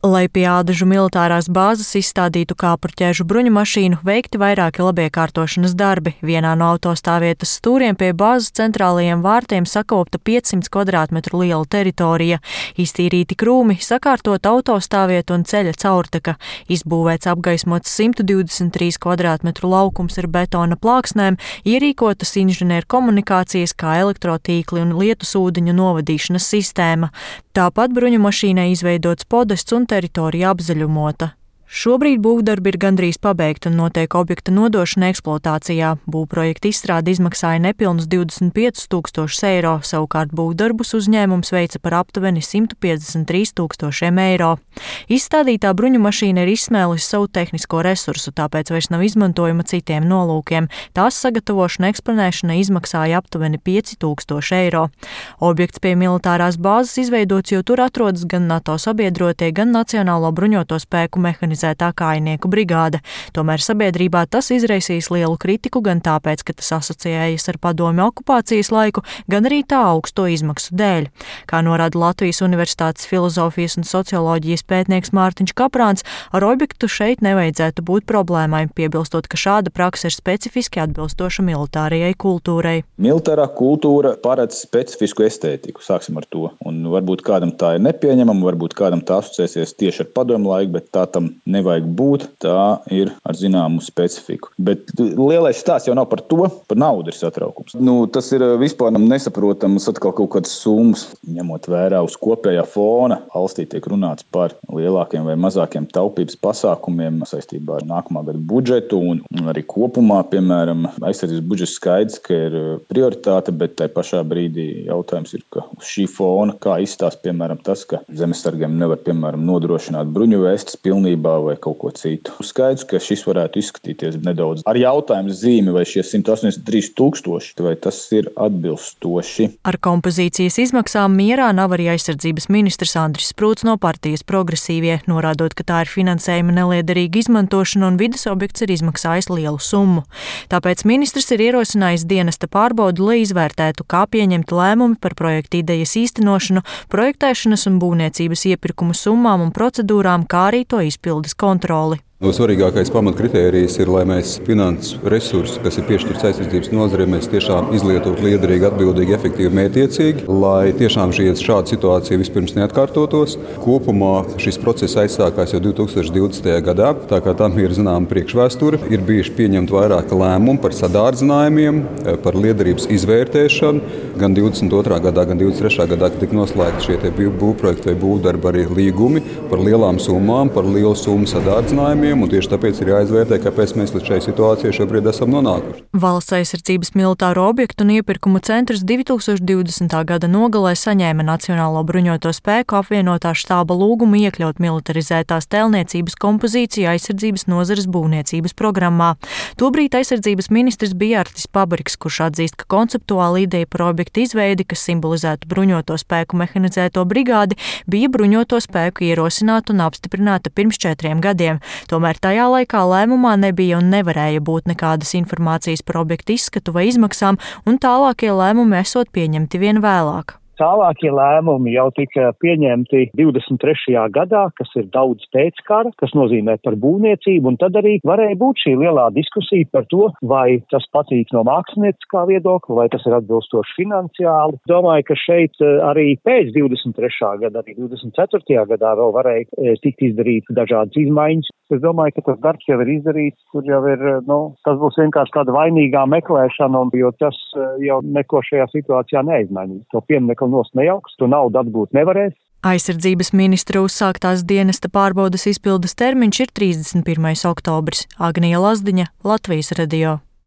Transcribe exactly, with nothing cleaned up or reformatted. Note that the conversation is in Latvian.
Lai pie Ādažu militārās bāzes izstādītu kāpurķēžu bruņumašīnu, veikti vairāki labiekārtošanas darbi. Vienā no autostāvvietas stūriem pie bāzes centrālajiem vārtiem sakopta piecsimt kvadrātmetru liela teritorija, iztīrīti krūmi, sakārtot autostāvvietu un ceļa caurteka, izbūvēts apgaismots simt divdesmit trīs kvadrātmetru laukums ar betona plāksnēm, ierīkotas inženieru komunikācijas kā elektrotīkli un lietusūdeņu novadīšanas sistēma. Tāpat bruņumašīnai izveidots podests un teritorija apzaļumota. Šobrīd būvdarbi ir gandrīz pabeigti un notiek objekta nodošana eksploatācijā. Būvprojekta izstrāde izmaksāja nepilnus divdesmit piecus tūkstošus eiro, savukārt būvdarbus uzņēmums veica par aptuveni simt piecdesmit trīs tūkstošiem eiro. Izstādītā bruņumašīna ir izsmēlusi savu tehnisko resursu, tāpēc vairs nav izmantojama citiem nolūkiem. Tās sagatavošana eksponēšana izmaksāja aptuveni pieci tūkstoši eiro. Objekts pie militārās bāzes izveidots, jo tur atrodas gan NATO sabiedrotie, gan Nacionālo bruņoto spēku mehanizāciju. Kājnieku brigāde. Tomēr sabiedrībā tas izraisīs lielu kritiku gan tāpēc, ka tas asociējas ar padomju okupācijas laiku, gan arī tā augsto izmaksu dēļ. Kā norāda Latvijas Universitātes filozofijas un socioloģijas pētnieks Mārtiņš Kaprāns, ar objektu šeit nevajadzētu būt problēmai, piebilstot, ka šāda prakse ir specifiski atbilstoša militārajai kultūrai. Militārā kultūra paredz specifisku estētiku, sāksim ar to. Un varbūt kādam tā ir nepieņemama, varbūt kādam tā asociēsies tieši ar padomju laiku, bet tā tam nevajag būt, tā ir ar zināmu specifiku. Bet lielais stāsts jau nav par to, par naudu ir satraukums. Nu, tas ir vispār nesaprotams atkal kaut kādas summas, ņemot vērā uz kopējā fona. Valstī tiek runāts par lielākiem vai mazākiem taupības pasākumiem saistībā ar nākamā gada budžetu un arī kopumā, piemēram, aizsardzības budžets skaidrs, ka ir prioritāte, bet tai pašā brīdī jautājums ir, ka uz šī fona, kā izstāst, piemēram, tas, ka zemesargiem nevar, piemēram, nodrošināt bruņuvestes pilnībā vai kaut ko citu. Skaidrs, ka šis varētu izskatīties nedaudz ar jautājumu zīmi, vai šie simt astoņdesmit trīs tūkstoši, vai tas ir atbilstoši. Ar kompozīcijas izmaksām mierā nav arī aizsardzības ministrs Andris Sprūts no partijas Progresīvie, norādot, ka tā ir finansējuma neliederīga izmantošana un vides objekts ir izmaksājis lielu summu. Tāpēc ministrs ir ierosinājis dienesta pārbaudu, lai izvērtētu, kā pieņemt lēmumi par projekta idejas īstenošanu, projektēšanas un būvniecības iepirkumu summām un procedūrām, kā arī to izpildes kontroli. Svarīgākais pamatkritērijs ir, lai mēs finanses resursus, kas ir piešķirts aizsardzības nozarei, mēs tiešām izlietotu liederīgi, atbildīgi, efektīvi, mērķiecīgi, lai tiešām šāda situācija vispirms neatkārtotos. Kopumā šis process aizsākās jau divi tūkstoši divdesmitajā gadā, tā kā tam ir zināma priekšvēsture. Ir bijuši pieņemti vairāki lēmumi par sadārdzinājumiem, par liederības izvērtēšanu. Gan divdesmit otrā gadā, gan divdesmit trešā gadā, kad tika noslēgti šie būvprojekti vai būvdarbi, arī līgumi par lielām summām, par lielu summu sadārdzinājumiem. Un tieši tāpēc ir jāizvērtē, kāpēc mēs līdz šai situācijai šobrīd esam nonākuši. Valsts aizsardzības militāro objektu un iepirkumu centrs divi tūkstoši divdesmitā gada nogalē saņēma Nacionālo bruņoto spēku apvienotā štāba lūgumu iekļaut militarizētās tēlniecības kompozīciju aizsardzības nozares būvniecības programmā. Tobrīd aizsardzības ministrs bija Artis Pabriks, kurš atzīst, ka konceptuāla ideja par objektu izveidi, kas simbolizētu bruņoto spēku mehanizēto brigādi, bija bruņoto spēku ierosināta un apstiprināta pirms četriem gadiem. Tomēr tajā laikā lēmumā nebija un nevarēja būt nekādas informācijas par objektu izskatu vai izmaksām, un tālākie lēmumi esot pieņemti vien vēlāk. Tālākie lēmumi jau tika pieņemti divdesmit trešajā gadā, kas ir daudz pēc kara, kas nozīmē par būvniecību, un tad arī varēja būt šī lielā diskusija par to, vai tas patīk no mākslinieckā viedokļa, vai tas ir atbilstoši finansiāli. Domāju, ka šeit arī pēc divdesmit trešā gada, arī divdesmit ceturtajā gadā vēl varēja tikt izdarīt dažādas izmaiņas. Es domāju, ka tas darbs jau ir izdarīts, tur jau ir, nu, tas būs vienkārši tāda vainīgā meklēšana, jo tas jau neko šajā situācijā neizmainīs. To pieminiektu nost nejauks, to naudu atgūt nevarēs. Aizsardzības ministra uzsāktās dienesta pārbaudes izpildes termiņš ir trīsdesmit pirmais oktobris. Agnija Lazdiņa, Latvijas radio.